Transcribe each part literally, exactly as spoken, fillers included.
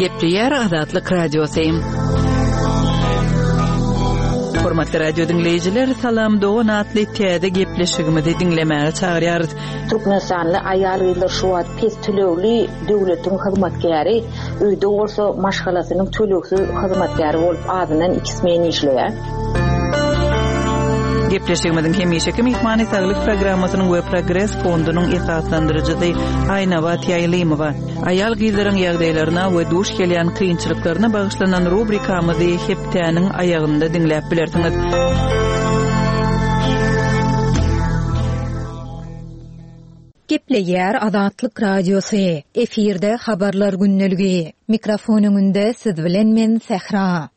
Gepleýär Azatlyk Radiosy. Hormatly radio diňleýjiler, Salam dogan atly täze gepleşigimizi diňlemäge çagyrýarys. Türkmenistanly aýal-gyzlar şu wagt pes tölegli döwletiň hyzmatkäri, öýde bolsa maşgalasynyň tölegsiz hyzmatkäri bolup azyndan iki smen işleýär. Gepleşigimiziň hemişeki myhmany Saglyk programmasynyň we Progres fondunyň esaslandyryjysy Aýnabat Ýaýlymowa. Aýal gyzlaryň ýagdaýlaryna we duş gelýän kynçylyklaryna bagyşlanan rubrikamyzy hepdäniň aýagynda diňläp bilersiňiz. Gepleýär Azatlyk Radiosy. Efirde habarlar gündeligi. Mikrofon öňünde siz bilen men Sähra.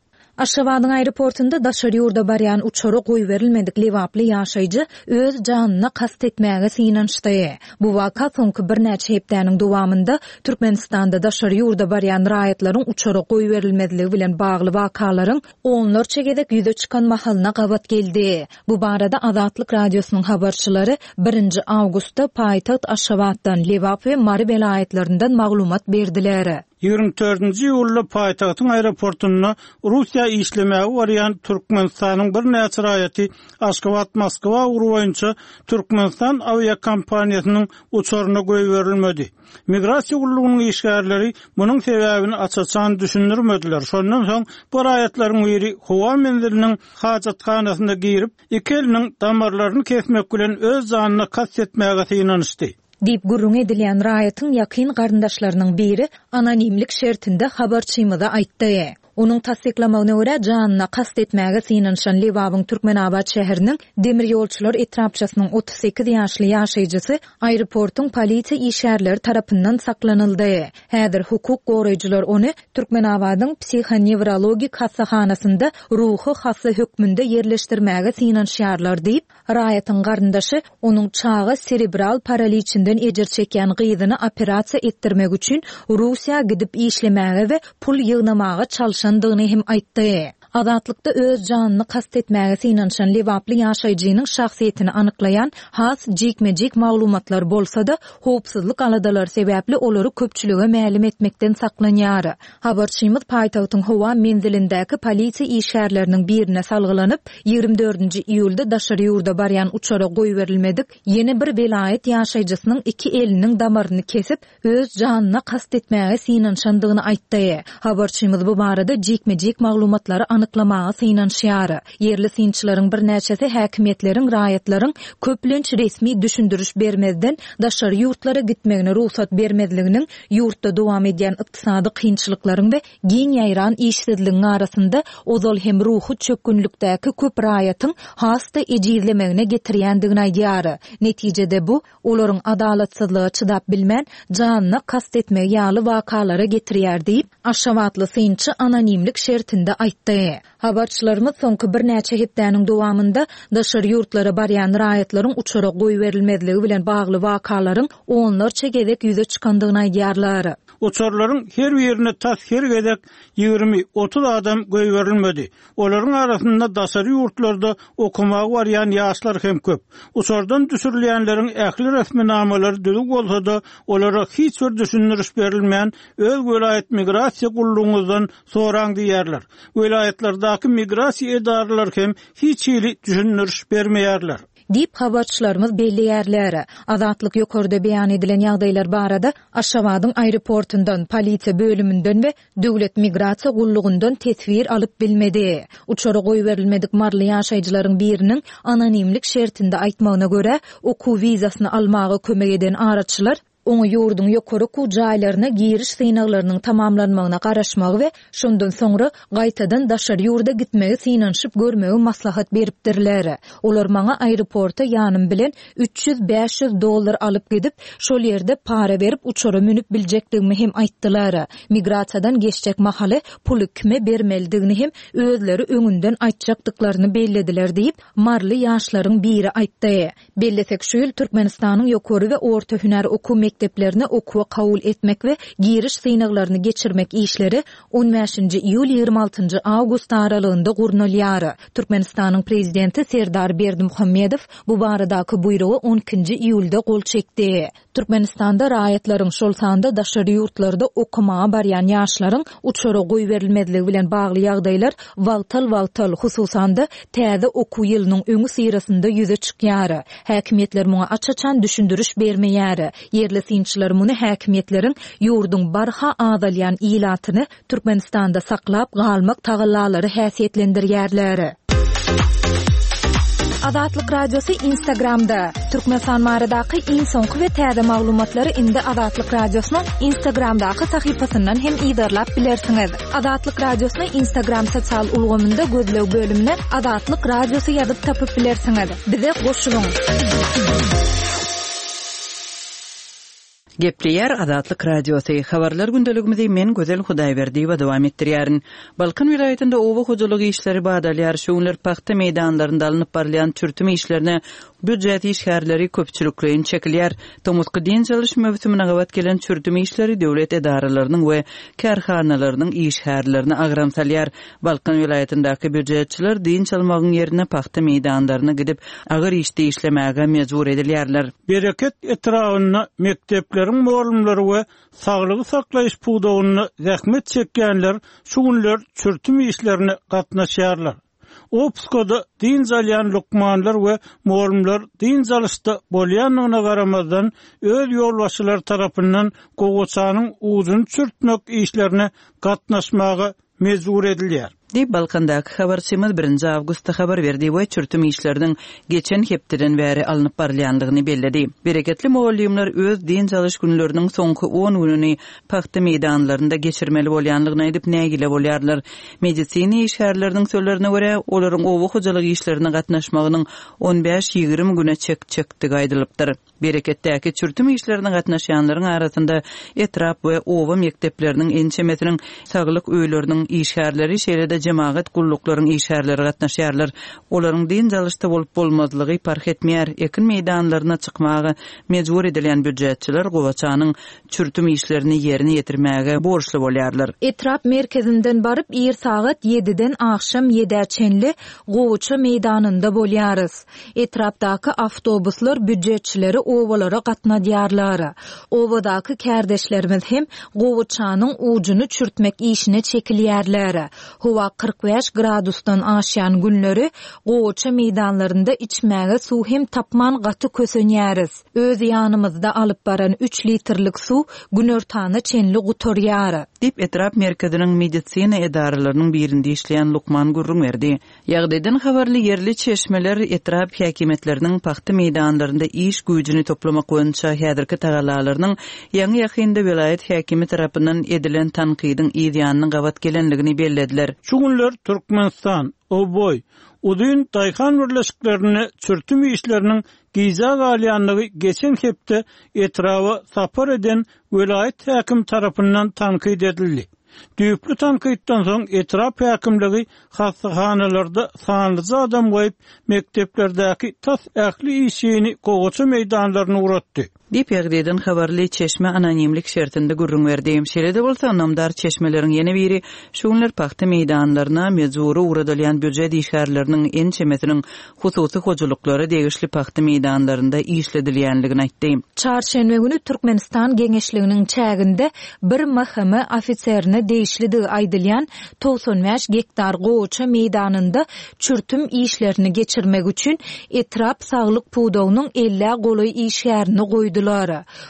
Aşgabadyň aeroportunda daşary ýurda barýan uçara goýberilmedik Lebaply ýaşaýjy öz janyna kast etmäge synanyşdy. Bu waka soňky birnäçe hepdäniň dowamynda Türkmenistanda daşary ýurda barýan raýatlaryň uçara goýberilmezligi bilen bagly wakalaryň onlarça gezek ýüze çykan mahalyna gabat geldi. Bu barada Azatlyk Radiosynyň habarçylary birinji awgustda paýtagt Aşgabatdan, Lebap we Mary welaýatlaryndan maglumat berdiler. Ýigrimi dördünji iýulda paýtagtyň aeroportunda Russiýa işlemäge barýan Türkmenistanyň birnäçe raýaty Aşgabat-Moskwa ugry boýunça Türkmenistan awiakompaniýasynyň uçaryna goýberilmedi. Migrasiýa gullugynyň işgärleri munuň sebäbini aç-açan düşündirmediler. Şondan soň bu raýatlaryň biri howa menziliniň hajathanasyna girip, iki eliniň damarlaryny kesmek bilen öz janyna kast etmäge synanyşdy. Diýip gürrüň edilýän raýatyň ýakyn garyndaşlarynyň biri anonimlik şertinde habarçymyza aýtdy. Onuň tassyklamagyna görä janyna kast etmäge synanyşan Lebabyň Türkmenabat şäheriniň demir ýolçular etrapçasynyň otuz sekiz ýaşly ýaşaýjysy aeroportuň polisiýa işgärleri tarapyndan saklanyldy. Häzir hukuk goraýjylar ony Türkmenabadyň psihonewrologik hassahanasynda ruhy hassa hökmünde ýerleşdirmäge synanyşýarlar diýip, raýatyň garyndaşy onuň çaga serebral paraliçinden ejir çekýän gyzyny operasiýa etdirmek üçin Russiýa gidip işlemäge we pul ýygnamaga çalşandygyny hem aýtdy. Azatlykda öz janyny kast etmäge synanyşan Lebaply ýaşaýjynyň şahsyýetini anyklaýan has jikme-jik maglumatlar bolsa-da, howpsuzlyk aladalary sebäpli olary köpçülige mälim etmekden saklanýar. Habarçymyz paýtagtyň howa menzilindäki polisiýa işgärleriniň birine salgylanyp, ýigrimi dördünji iýulda daşary ýurda barýan uçara goýberilmedik ýene bir welaýat ýaşaýjysynyň iki eliniň damaryny kesip, öz janyna kast etmäge synanyşandygyny aýtdy. Habarçymyz bu barada jikme-jik maglumatlary anyklamaga synanyşýar. Ýerli synçylaryň birnäçesi häkimiýetleriň raýatlaryň köplenç resmi düşündiriş bermezden daşary ýurtlara gitmegine rugsat bermezliginiň ýurtda dowam edýän ykdysady kynçylyklaryň we giň ýaýran işsizligiň arasynda ozal hem ruhy çökgünlikdäki köp raýatyň has-da ejizlemegine getirýändigini aýdýar. Netijede bu olaryň adalatsyzlyga çydap bilmän janyna kast etmegi ýaly wakalara getirýär diýip, Aşgabatly synçy anonimlik şertinde aýtdy. Habarçylarymyz soňky birnäçe hepdäniň dowamynda daşary ýurtlara barýan raýatlaryň uçara goýberilmezligi bilen bagly wakalaryň onlarça gezek ýüze çykandygyny aýdýarlar. Uçarlaryň her birine tas her gezek ýigrimi otuz adam goýberilmedi. Olaryň arasynda daşary ýurtlarda okamaga barýan ýaşlar hem köp. Uçardan düşürilýänleriň ähli resminamalary düzüg bolsa-da, olara hiç bir düşündiriş berilmän, öz welaýat migrasiýa gullugyňyzdan soraň diýerler. Welaýatlardaky migrasiýa edaralary hem hiç hili düşündiriş bermeýärler. Diýip habarçylarymyz belleýärler. Azatlyk ýokarda beýan edilen ýagdaýlar barada Aşgabadyň aeroportundan, polisiýa bölüminden we Döwlet migrasiýa gullugyndan teswir alyp bilmedi. Uçara goýberilmedik Marly ýaşaýjylaryň biriniň anonimlik şertinde aýtmagyna görä, okuw wizasyny almaga kömek eden araçylar oňa ýurduň ýokary okuw jaýlaryna giriş synaglarynyň tamamlanmagyna garaşmagy we şondan soňra gaýtadan daşary ýurda gitmegi synanyşyp görmegi maslahat beripdirler. Olar maňa aeroporta ýanym bilen üç ýüz bäş ýüz dollar alyp gidip, şol ýerde para berip uçara münüp biljekdigimi hem aýtdylar. Migrasiýadan geçjek mahaly puly kime bermelidigini hem özleri öňünden aýtjakdyklaryny bellediler diýip, Marly ýaşlaryň biri aýtdy. Bellesek şu ýyl Türkmenistanyň ýokary we orta hünär okuw mekdeplerine okuwa kabul etmek we giriş synaglaryny geçirmek işleri on bäşinji iýul ýigrimi altynjy awgust aralygynda gurnalýar. Türkmenistanyň prezidenti Serdar Berdimuhamedow bu baradaky buýrugy on ikinji iýulda gol çekdi. Türkmenistanda raýatlaryň, şol sanda daşary ýurtlarda okamaga barýan ýaşlaryň uçara goýberilmezligi bilen bagly ýagdaýlar wagtal-wagtal, hususan-da täze okuw ýylynyň öňi syrasynda ýüze çykýar. Häkimiýetler muňa aç-açan düşündiriş bermeýär. Ýerli synçylar muny häkimiýetleriň ýurduň barha azalýan ilatyny Türkmenistanda saklap galmak tagallalary häsiýetlendirýärler. Azatlyk Radiosy Instagramda. Türkmenistan baradaky iň soňky we täze maglumatlary indi Azatlyk Radiosynyň Instagramdaky sahypasyndan hem yzarlap bilersiňiz. Azatlyk Radiosyny Instagram sosial ulgamynda gözleg bölümine Azatlyk Radiosy ýazyp tapyp bilersiňiz. Bize goşulyň. Gepleýär Azatlyk Radiosy. Habarlar gündeligimizi men Gözel Hudaýberdiýewa dowam etdirýärin. Balkan welaýatynda oba hojalyk işleri badalýar. Şu günler pagta meýdanlarynda alnyp barylýan çürtüm işlerine býujet işgärleri köpçülikleýin çekilýär. Tomusky dynç alyş möwsümine gabat gelen çürtüm işleri döwlet edaralarynyň we kärhanalarynyň işgärlerine agram salýar. Balkan welaýatyndaky býujetçiler dynç almagyň ýerine pagta meýdanlaryna gidip agyr işde işlemäge mejbur edilýärler. Bereket etrabynda mekdepleriň mugallymlary we saglygy saklaýyş pudagynda zähmet çekýänler şu günler çürtüm işlerine gatnaşýarlar. Opskoda dynç alýan lukmanlar we mugallymlar dynç alyşda bolýandygyna garamazdan öz ýolbaşçylary tarapyndan gowaçanyň ujuny çürtmek işlerine gatnaşmaga mejbur edilýär. Diýip Balkandaky habarçymyz birinji awgustda habar berdi we çürtüm işleriniň geçen hepdeden bäri alnyp barylýandygyny belledi. Bereketli mugallymlar öz dynç alyş günleriniň soňky on gününi pagta meýdanlarynda geçirmeli bolýandygyny aýdyp nägile bolýarlar. Medisina işgärleriniň sözlerine görä, olaryň oba hojalyk işlerine gatnaşmagynyň on bäş ýigrimi güne çekjekdigi aýdylypdyr. Bereketdäki çürtüm işlerine gatnaşýanlaryň arasynda etrap we oba mekdepleriniň ençemesiniň saglyk öýleriniň işgärleri, şeýle-de jemagat gulluklaryň işgärleri gatnaşýarlar. Olaryň dynç alyşda bolup bolmazlygy parh etmeýär. Ekin meýdanlaryna çykmaga mejbur edilýän býujetçiler gowaçanyň çürtüm işlerini ýerine ýetirmäge borçly bolýarlar. Etrap merkezinden baryp ir sagat ýediden akşam ýedä çenli gowaça meýdanynda bolýarys. Etrapdaky awtobuslar býujetçileri obalara gatnadýarlar. Obadaky kärdeşlerimiz hem gowaçanyň ujuny çürtmek işine çekilýärler. Howa kyrk bäş gradusdan aşýan günleri gowaça meýdanlarynda içmäge suw hem tapman gaty kösenýäris. Öz ýanymyzda alyp baran üç litrlik suw günortana çenli gutarýar. Diýip etrap merkeziniň medisina edaralarynyň birinde işleýän lukman gürrüň berdi. Ýagdaýdan habarly ýerli çeşmeler etrap häkimiýetleriniň pagta meýdanlarynda iş güýjüni toplamak boýunça häzirki tagallalarynyň ýaňy ýakynda welaýat häkimi tarapyndan edilen tankydyň yz ýanyna gabat gelenligini bellediler. Şu günler Türkmenistan, Oboý, uzyn daýhan birleşiklerine çürtüm işleriniň gijä galýanlygy geçen hepde etraba sapar eden welaýat häkim tarapyndan tankyt edildi. Düýpli tankytdan soň etrap häkimligi hassahanalarda sanlyja adam goýup, mekdeplerdäki tas ähli işini gowaça meýdanlaryna ugratdy. Diýip ýagdaýdan habarly çeşme anonimlik şertinde gürrüň berdi. Şeýle-de bolsa namdar çeşmeleriň ýene biri şu günler pagta meýdanlaryna mejbury ugradylýan býujet işgärleriniň ençemesiniň hususy hojalyklara degişli pagta meýdanlarynda işledilýänligini aýtdy. Çarşenbe günü Türkmenistan geňeşliginiň çäginde bir M H M ofiserine degişlidigi aýdylýan togsan bäş gektar gowaça meýdanynda çürtüm işlerini geçirmek üçin etrap saglyk pudagynyň ellä golaý işgärini goýdular.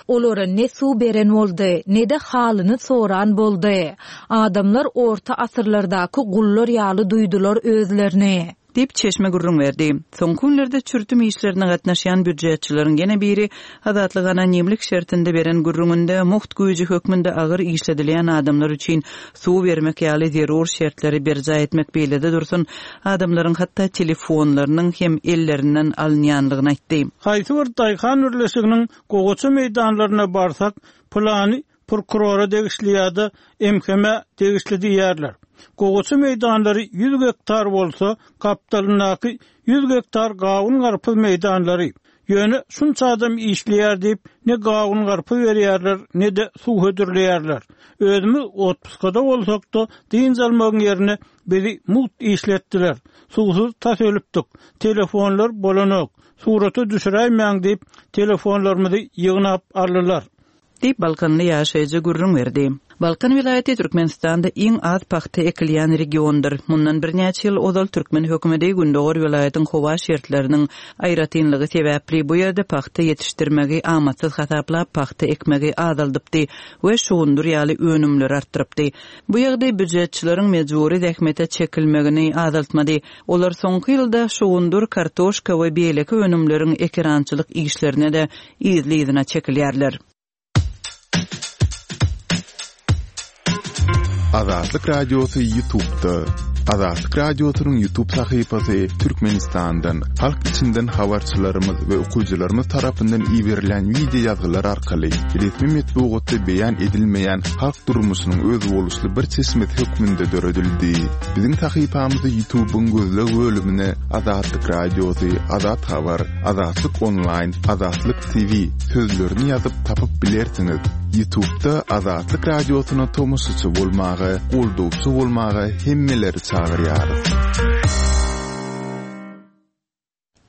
Olara ne suw beren boldy, ne de halyny soran boldy. Adamlar orta asyrlardaky gullar ýaly duýdular özlerini. Diýip çeşme gürrüň berdi. Soňky günlerde çürtüm işlerine gatnaşýan býujetçileriň ýene biri Azatlyk anonimlik şertinde beren gürrüňinde muht güýji hökmünde agyr işledilýän adamlar üçin suw bermek ýaly zerur şertleri berjaý etmek beýlede dursun, adamlaryň hatda telefonlarynyň hem ellerinden alynýanlygyny aýtdy. Haýsy bir daýhan birleşiginiň gowaça meýdanlaryna barsak, plany prokurora degişli ýa-da M H M degişli diýerler. Gowaça meýdanlary ýüz gektar bolsa, gapdalyndaky ýüz gektar gawun garpyz meýdanlary, Ýöne şunça adam işleýär diýip, ne gawun-garpyz berýärler, ne-de suw hödürleýärler. Özümiz otpuskada bolsak-da, dynç almagyň ýerine bizi mugt işletdiler. Suwsuz tas ölüpdik. Telefonlar bolanok. Surata düşüräýmäň diýip, telefonlarymyzy ýygnap aldylar. Diýip, balkanly ýaşaýjy gürrüň berdi. Balkan welaýaty Türkmenistanda iň az pagta ekilýän regiondyr. Mundan birnäçe ýyl ozal türkmen hökümeti gündogar welaýatyň howa şertleriniň aýratynlygy sebäpli bu ýerde pagta ýetişdirmegi amatsyz hasaplap, pagta ekmegi azaldypdy we şugundyr ýaly önümleri artdyrypdy. Bu ýagdaý býujetçileriň mejbury zähmete çekilmegini azaltmady. Olar soňky ýylda şugundyr, kartoşka we beýleki önümleriň ekerançylyk işlerine-de yzly-yzyna çekilýärler. Azatlyk Radiosy YouTube'da. Azatlyk Radiosynyň YouTube sahypasy Türkmenistandan, halk içinden habarçylarymyz we okyjylarymyz tarapyndan iberilen wideo ýazgylar arkaly resmi metbugatda beýan edilmeýän halk durmuşynyň özboluşly bir çeşmesi hökmünde döredildi. Biziň sahypamyzy YouTube'yň gözleg bölümine Azatlyk Radiosy, Azat Habar, Azatlyk Online, Azatlyk T V sözlerini ýazyp tapyp bilersiňiz. YouTube'da Azatlyk Radiosyna tomaşaçy bolmaga, goldawçy bolmaga hemmeleri çagyrýarys.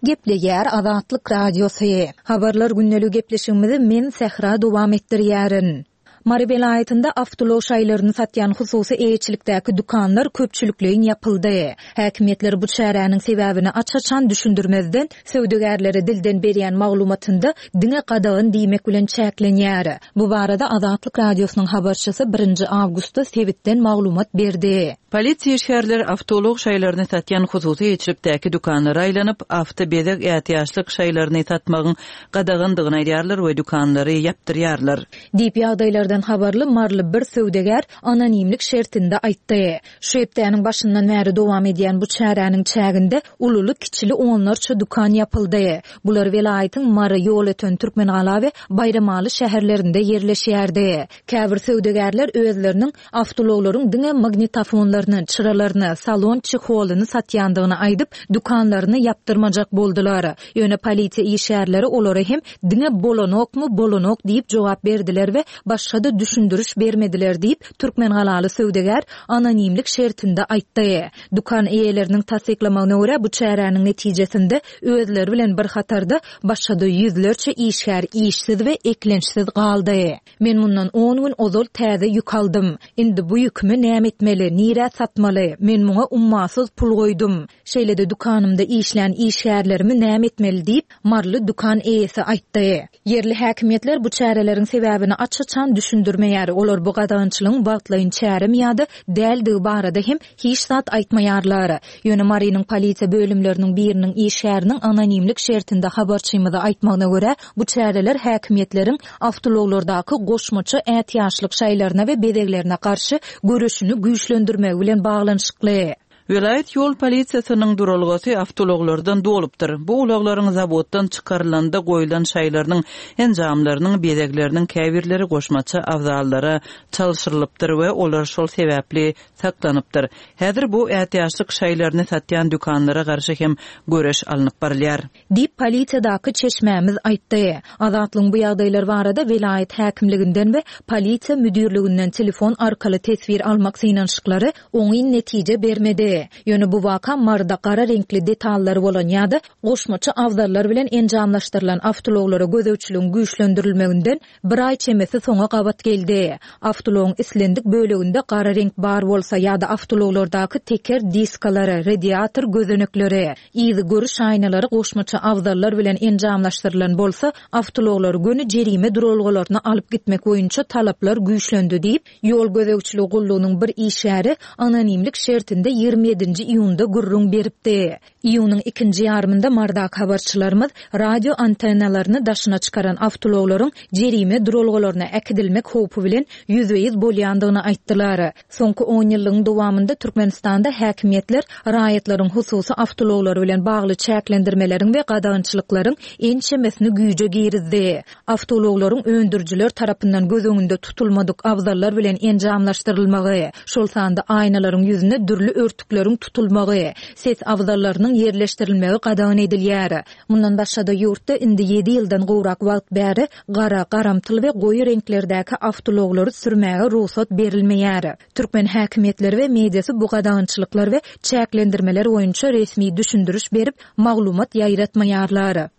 Gepleýär Azatlyk Radiosy. Habarlar gündelik gepleşigimizi men Sähra dowam etdirýärin. Mary welaýatynda awtoulag şaýlaryny satýan hususy eýeçilikdäki dükanlar köpçülikleýin ýapyldy. Häkimiýetler bu çäräniň sebäbini aç-açan düşündirmezden söwdagärlere dilden berýän maglumatynda diňe gadagan diýmek bilen çäklenýär. Bu barada Azatlyk Radiosynyň habarçysy birinji awgustda sebitden maglumat berdi. Polisiýa işgärleri awtoulag şaýlaryny satýan hususy eýeçilikdäki dükanlara aýlanyp, awto bezeg ätiýaçlyk şaýlaryny satmagyň gadagandygyny aýdýarlar we dükanlary ýapdyrýarlar. Diýip ýagdaýlardan habarly Marly bir söwdagär anonimlik şertinde aýtdy. Şu hepdäniň başyndan bäri dowam edýän bu çäräniň çäginde ululy kiçili onlarça dükan ýapyldy. Bular welaýatyň Mary, Ýolöten, Türkmengala we Baýramaly şäherlerinde ýerleşýärdi. Käbir söwdagärler özleriniň awtoulaglaryň diňe magnitofonlaryny, çyralaryny, salon çeholyny satýandygyny aýdyp, dükanlaryny ýapdyrmajak boldular. Ýöne polisiýa işgärleri olara hem diňe bolanokmy, bolanok diýip jogap berdiler we başga da düşündiriş bermediler diýip, Türkmengalaly söwdagär anonimlik şertinde aýtdy. Dükan eýeleriniň tassyklamagyna görä bu çäräniň netijesinde özleri bilen bir hatarda başga da ýüzlerçe işgär işsiz we eklençsiz galdy. Men mundan on gün ozal täze ýük aldym. Indi bu ýükümi näme etmeli, nirä satmaly? Men muňa ummasyz pul goýdum. Şeýle-de dükanymda işlän işgärlerimi näme etmeli diýip, Marly dükan eýesi aýtdy. Ýerli häkimiýetler bu çäreleriň sebäbini aç-açan düşündirmeýär. Olar bu gadagançylygyň wagtlaýyn çäremi ýa-da däldigi barada hem hiç zat aýtmaýarlar. Ýöne Marynyň polisiýa bölümleriniň biriniň işgäriniň anonimlik şertinde habarçymyza aýtmagyna görä, bu çäreler häkimiýetleriň awtoulaglardaky goşmaça ätiýaçlyk şaýlaryna we bezeglerine garşy göreşini güýçlendirmegi bilen baglanyşykly. Welaýat ýol polisiýasynyň duralgasy awtoulaglardan dolupdyr. Bu ulaglaryň zawoddan çykarylanda goýlan şaýlarynyň, enjamlarynyň, bezegleriniň käbirleri goşmaça abzallara çalşyrylypdyr we olar şol sebäpli saklanypdyr. Häzir bu ätiýaçlyk şaýlaryny satýan dükanlara garşy hem göreş alnyp barylýar. Diýip polisiýadaky çeşmämiz aýtdy. Azatlygyň bu ýagdaýlar barada welaýat häkimliginden we polisiýa müdirliginden telefon arkaly teswir almak synanyşyklary oňyn netije bermedi. Ýöne bu waka Maryda gara reňkli detallary bolan ýa-da goşmaça abzallar bilen enjamlaşdyrylan awtoulaglara gözegçiligiň güýçlendirilmeginden bir aý çemesi soňa gabat geldi. Awtoulagyň islendik böleginde gara reňk bar bolsa ýa-da awtoulaglardaky teker diskalary, radiator gözenekleri, ýygy görüş aýnalary goşmaça abzallar bilen enjamlaşdyrylan bolsa, awtoulaglary göni jerime duralgalaryna alyp gitmek boýunça talaplar güýçlendi diýip, ýol gözegçiligi gullugynyň bir işgäri anonimlik şertinde ýigrimi ýedinji iýunda gürrüň beripdi. Iýunyň ikinji ýarymynda Mardak habarçylarymyz radio antennalaryny daşyna çykaran awtoulaglaryň jerime duralgalaryna äkidilmek howpy bilen ýüzbe-ýüz bolýandygyny aýtdylar. Soňky on ýyllygyň dowamynda Türkmenistanda häkimiýetler raýatlaryň hususy awtoulaglary bilen bagly çäklendirmeleriň we gadagançylyklaryň ençemesini güýje girizdi. Awtoulaglaryň öndürijiler tarapyndan göz öňünde tutulmadyk abzallar bilen enjamlaşdyrylmagy, şol sanda aýnalaryň ýüzüne dürli örtükler köçeleriň tutulmagy, ses abzallarynyň ýerleşdirilmegi gadagan edilýär. Mundan başga-da ýurtda indi ýedi ýyldan gowrak wagt bäri gara, garamtyl we goýy reňklerdäki awtoulaglary sürmäge rugsat berilmeýär. Türkmen häkimiýetleri we mediasy bu gadagançylyklar we çäklendirmeler boýunça resmi düşündiriş berip, maglumat ýaýratmaýarlar.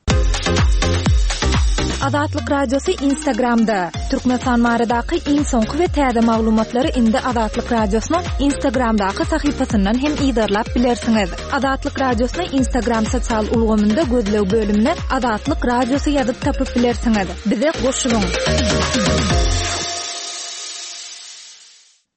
Azatlyk Radiosy Instagramda. Türkmenistan baradaky iň soňky we täze maglumatlary indi Azatlyk Radiosynyň Instagramdaky sahypasyndan hem yzarlap bilersiňiz. Azatlyk Radiosyny Instagram sosial ulgamynda gözleg bölümine Azatlyk Radiosy ýazyp tapyp bilersiňiz. Bize goşulyň.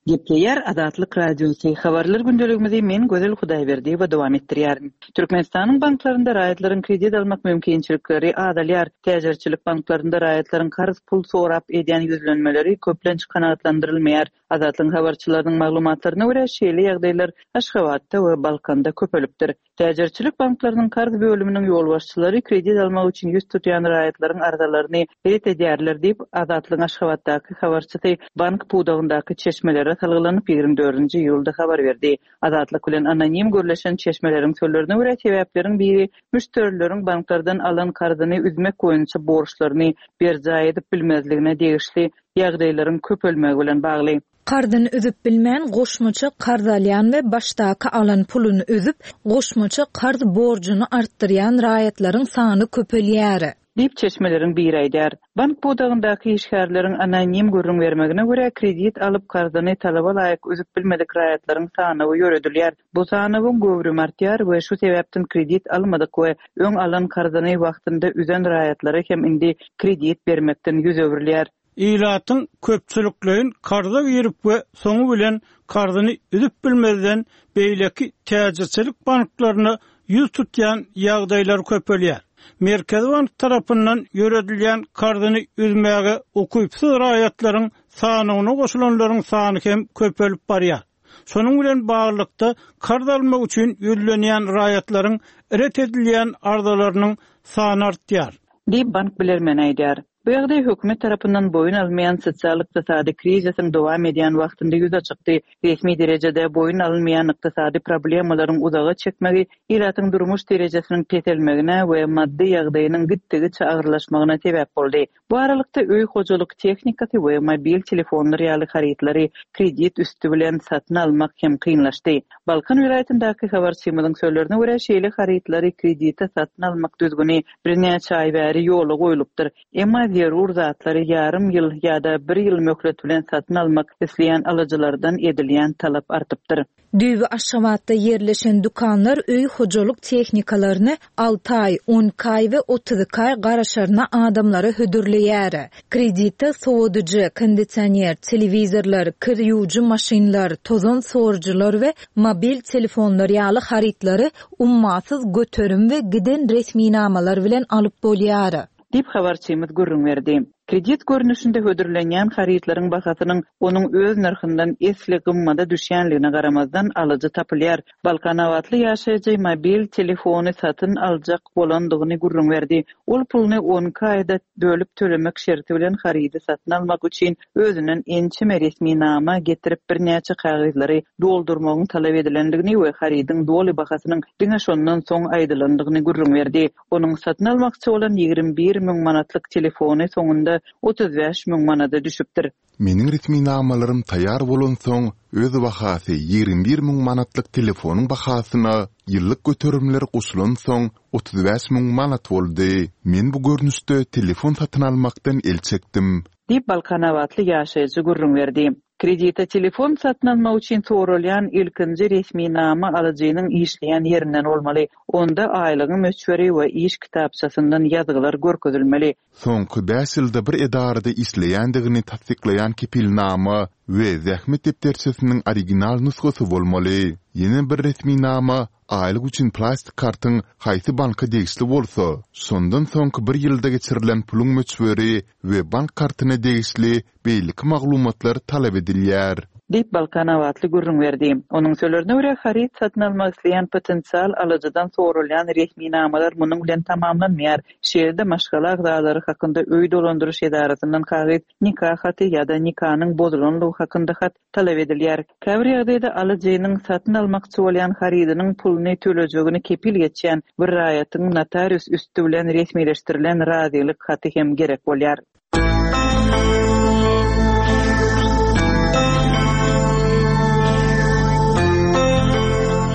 Gepleýär Azatlyk Radiosy. Habarlar gündeligimizi men Gözel Hudaýberdiýewa dowam etdirýärin. Türkmenistanyň banklarynda raýatlaryň kredit almak mümkinçilikleri azalýar. Täjirçilik banklarynda raýatlaryň karz pul sorap edýän ýüzlenmeleri köplenç kanagatlandyrylmaýar. Azatlygyň habarçylarynyň maglumatlaryna görä, şeýle ýagdaýlar Aşgabatda we Balkanda köpelipdir. Täjirçilik banklarynyň karz bölüminiň ýolbaşçylary kredit almak üçin ýüz tutýan raýatlaryň arzalaryny ret edýärler diýip, Azatlygyň Aşgabatdaky habarçysy bank pudagyndaky çeşmelere salgylanyp ýigrimi dördünji iýulda habar berdi. Azatlyk bilen anonim gürleşen çeşmeleriň sözlerine görä, sebäpleriň biri müşderileriň banklardan alan karzyny üzmek boýunça borçlaryny berjaý edip bilmezligine degişli ýagdaýlaryň köpelmegi bilen bagly. Karzyny üzüp bilmän goşmaça karz alýan we başdaky alan puluny üzüp, goşmaça karz borjuny artdyrýan raýatlaryň sany köpelýär. Diýip çeşmeleriň biri aýdýar. Bank pudagyndaky işgärleriň anonim gürrüň bermegine görä, kredit alyp karzyny talaba laýyk üzüp bilmedik raýatlaryň sanawy ýöredilýär. Bu sanawyň göwrümi artýar we şu sebäpden kredit almadyk we öň alan karzyny wagtynda üzen raýatlara hem indi kredit bermekden ýüz öwrülýär. Ilatyň köpçülikleýin karza girip we soňy bilen karzyny üzüp bilmezden beýleki täjirçilik banklaryna ýüz tutýan ýagdaýlar köpelýär. Merkezi bank tarapyndan ýöredilýän karzyny üzmäge ukypsyz raýatlaryň sanyna goşulanlaryň sany hem köpelip barýar. Şonuň bilen baglylykda karz almak üçin ýüzlenýän raýatlaryň ret edilýän arzalarynyň sany artýar. Diýip bank bilermeni aýdýar. Bu ýagdaý hökümet tarapyndan boýun almaýan sosial-ykdysady krizisiň dowam edýän wagtynda ýüze çykdy. Resmi derejede boýun alynmaýan ykdysady problemalaryň uzaga çekmegi ilatyň durmuş derejesiniň peselmegine we maddy ýagdaýynyň gitdigiçe agyrlaşmagyna sebäp boldy. Bu aralykda öý hojalyk tehnikasy we mobil telefonlar ýaly harytlary kredit üsti bilen satyn almak hem kynlaşdy. Balkan welaýatyndaky habarçymyzyň sözlerine görä, şeýle harytlary kredite satyn almak düzgüni birnäçe aý bäri ýola goýlupdyr. Emma zerur zatlary ýarym ýyl ýa-da bir ýyl möhlet bilen satyn almak isleýän alyjylardan edilýän talap artypdyr. Düýbi Aşgabatda ýerleşen dükanlar öý hojalyk tehnikalaryny alty aý, on iki aý we otuz iki aý garaşaryna adamlara hödürleýär. Kreditde sowadyjy, kondisioner, telewizorlar, kir ýuwujy maşynlar, tozan sorujylar we mobil telefonlar ýaly harytlary ummasyz göterim we giden resminamalar bilen alyp bolýar. Diýip habarçymyz gürrüň berdi. Kredit görnüşinde hödürlenýän harytlaryň bahasynyň onuň öz nyrhyndan esli gymmada düşýänligine garamazdan alyjy tapylýar. Balkanabatly ýaşaýjy mobil telefony satyn aljak bolandygyny gürrüň berdi. Ol puluny on iki aýda bölüp tölemek şerti bilen harydy satyn almak üçin özünden ençeme resminama getirip birnäçe kagyzlary doldurmagyň talap edilendigini we harydyň doly bahasynyň diňe şondan soň aýdylandygyny gürrüň berdi. Onuň satyn almakçy bolan ýigrimi bir müň manatlyk telefony soňunda otuz bäş müň manada düşüpdir. Meniň resminamalarym taýýar bolansoň, öz bahasy ýigrimi bir müň manatlyk telefonyň bahasyna ýyllyk göterimler goşulansoň otuz bäş müň manat boldy. Men bu görnüşde telefon satyn almakdan el çekdim. Diýip Balkanabatly ýaşaýjy gürrüň berdi. Kredite telefon satyn almak üçin soralýan ilkinji resminama alyjynyň işleýän ýerinden bolmaly. Onda aýlygyň möçberi we iş kitapçasyndan ýazgylar görkezilmeli. Soňky bäş ýylda bir edarada işleýändigini tassyklaýan kepilnama we zähmet depderçesiniň original nusgasy bolmaly. Ýene bir resminama aýlyk üçin plastik kartyň haýsy banka degişli bolsa, şondan soňky bir ýylda geçirilen puluň möçberi we bank kartyna degişli beýleki maglumatlar talap edilýär. Diýip, balkanabatly gürrüň berdi. Onuň sözlerine görä, haryt satyn almak isleýän potensial alyjydan sorulýan resminamalar munuň bilen tamamlanmaýar. Şeýle-de maşgala agzalary hakynda öý dolandyryş edarasyndan kagyz, nika haty ýa-da nikanyň bozulanlygy hakynda hat talap edilýär. Käbir ýagdaýda alyjynyň satyn almakçy bolýan harydynyň puluny tölejegini kepil geçýän bir raýatyň notarius üsti bilen resmileşdirilen razylyk haty hem gerek bolýar.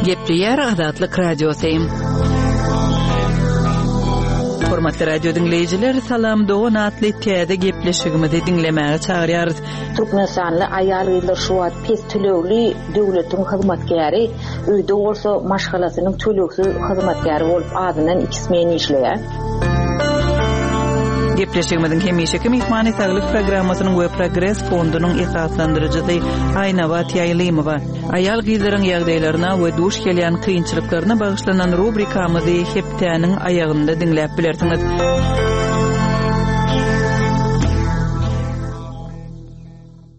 Gepleýär Azatlyk Radiosy. Hormatly radio diňleýjiler, Salam dogan atly täze gepleşigimizi diňlemäge çagyrýarys. Türkmenistanly aýal-gyzlar şu wagt pes tölegli döwletiň hyzmatkäri, öýde bolsa maşgalasynyň tölegsiz hyzmatkäri bolup azyndan iki smen işleýär. Gepleşigimiziň hemişeki myhmany Saglyk programmasynyň we Progres fondunyň esaslandyryjysy Aýnabat Ýaýlymowa. Aýal-gyzlaryň ýagdaýlaryna we duş gelýän kynçylyklaryna bagyşlanan rubrikamyzy hepdäniň aýagynda diňläp bilersiňiz.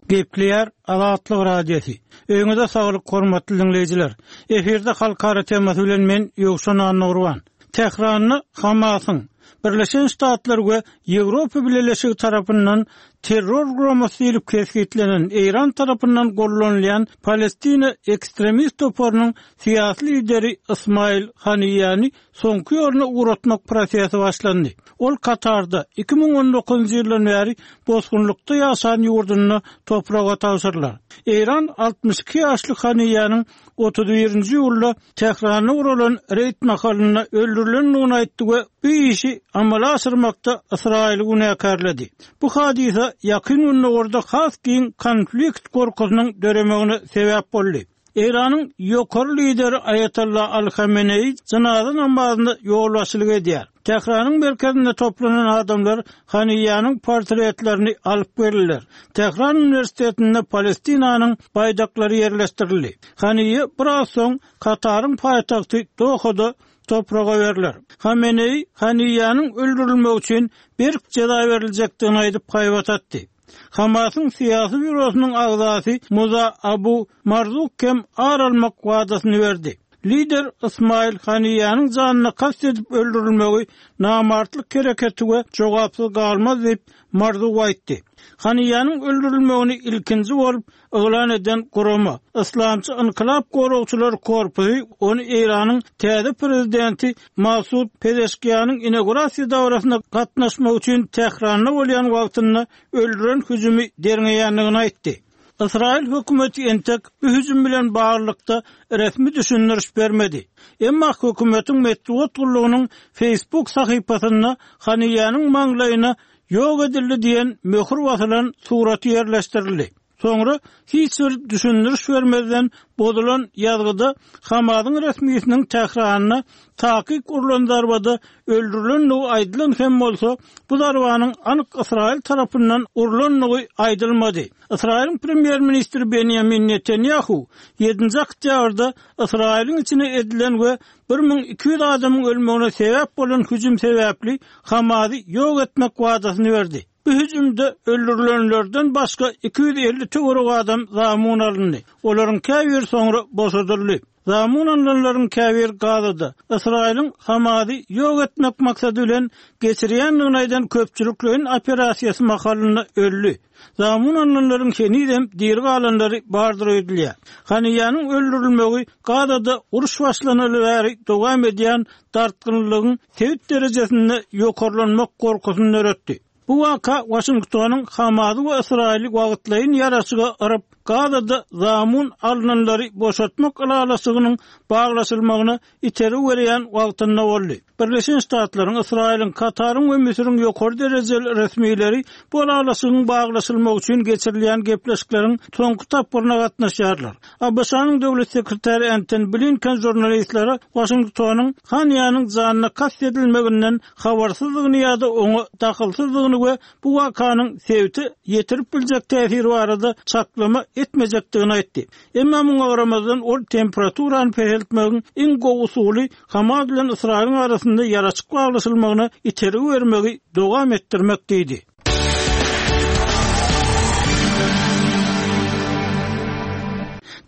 Gepleýär Azatlyk Radiosy. Öýüňize saglyk hormatly diňleýjiler. Efirde halkara temasy bilen men Ýowşan Annagurban. Tähranda Hamasyň Birleşen Ştatlar we Ýewropa Bileleşigi tarapyndan terror guramasy diýlip kesgitlenen Eýran tarapyndan gollanylýan Palestina ekstremist toparynyň syýasy lideri Ismail Haniýany soňky ýoluna ugratmak prosesi başlandy. Ol Katarda iki müň on dokuzynjy ýyldan bäri bosgunlykda ýaşan ýurdunda topraga tabşyrylar. Eýran altmyş iki ýaşly Haniýanyň otuz birinji ýylda Tähranda guralan reýd mahalynda öldürilendigini aýtdy we bu işi amala aşyrmakda Ysraýyly günäkärledi. Bu hadisa ýakyn günlerde has giň konflikt korkusynyň döremegine sebäp boldy. Eýranyň ýokary lideri Aýatollah Al-Hameneýi janaza namazynda ýolbaşçylyk edýär. Tähranyň merkezinde toplanan adamlar Haniýanyň portretlerini alyp geldiler. Tähran Üniversitetinde Palestinanyň baýdaklary ýerleşdirildi. Haniýe biraz soň Kataryň paýtagty Dohada topraga berler. Hameneýi Haniýanyň öldürilmegi üçin berk jeza beriljekdigini aýdyp haýbat atdy. Hamasyň syýasy býurosynyň agzasy Muza Abu Marzuk hem ar almak wadasyny berdi. Lider Ismail Haniýanyň janyna kast edip öldürilmegi namartlyk hereketi we jogapsyz galmaz diýip Marzuk aýtdy. Haniýanyň öldürilmegini ilkinji bolup yglan eden gurama Islamçy Inkılap Goragçylar Korpusy ony Eýranyň täze prezidenti Masud Pezeşkiýanyň inaugurasiýa dawrasyna gatnaşmak üçin Tähranda bolýan wagtynda öldüren hüjümi derňeýändigini aýtdy. Ysraýyl hökümeti entek bu hüjüm bilen baglylykda resmi düşündiriş bermedi. Emma hökümetiň metbugat gullugynyň Facebook sahypasynda Haniýanyň maňlaýyna ýok edildi diýen möhür basylan suraty ýerleşdirildi. Soňra hiç bir düşündiriş bermezden bozulan ýazgyda Hamasyň resmisiniň Tähranda takyk urlan zarbada öldürilenligi aýdylan hem bolsa, bu zarbanyň anyk Ysraýyl tarapyndan urlanlygy aýdylmady. Ysraýylyň premýer-ministri Benjamin Netanyahu ýedinji oktýabrda Ysraýylyň içine edilen we bir müň iki ýüz adamyň ölmegine sebäp bolan hüjüm sebäpli Hamasy ýok etmek wadasyny berdi. Bu hüjümde öldürilenlerden başga iki ýüz elli töwerek adam zamun alyndy. Olaryň käbiri soňra boşadyldy. Zamun alynanlaryň käbiri Gazada Ysraýylyň Hamasy ýok etmek maksady bilen geçirýändigini aýdan köpçülikleýin operasiýasy mahalynda öldi. Zamun alynanlaryň henizem diri galanlary bardyr öýdülýär. Haniýanyň öldürilmegi Gazada uruş başlanaly bäri dowam edýän dartgynlygyň sebit derejesinde ýokarlanmak korkusyny döretdi. Bu waka Washingtonyň Hamasy we Ysraýyly wagtlaýyn ýaraşyga yryp, Gazada zamun alynanlary boşatmak ylalaşygynyň baglaşylmagyna iteri berýän wagtynda boldy. Birleşen Ştatlaryň, Ysraýylyň, Kataryň we Müsüriň ýokary derejeli resmileri bu ylalaşygyň baglaşylmagy üçin geçirilýän gepleşikleriň soňky tapgyryna gatnaşýarlar. ABŞ-nyň döwlet sekretary Antony Blinken žurnalistlere Washingtonyň Haniýanyň janyna kast edilmeginden habarsyzlygyny ýa-da oňa dahylsyzlygyny we bu wakanyň sebite ýetirip biljek täsiri barada çaklama etmejekdigini aýtdy. Emma muňa garamazdan ol temperaturany peseltmegiň iň gowy usuly Hamas bilen Ysraýylyň arasynda ýaraşyk baglaşylmagyna itergi bermegi dowam etdirmek diýdi.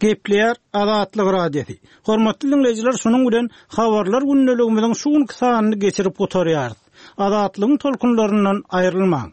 Gepleýär Azatlyk Radiosy. Hormatly diňleýjiler, şunuň bilen Habarlar gündeligimiziň şu günki sanyny geçirip gutarýarys. Azatlygyň tolkunlaryndan aýrylmaň.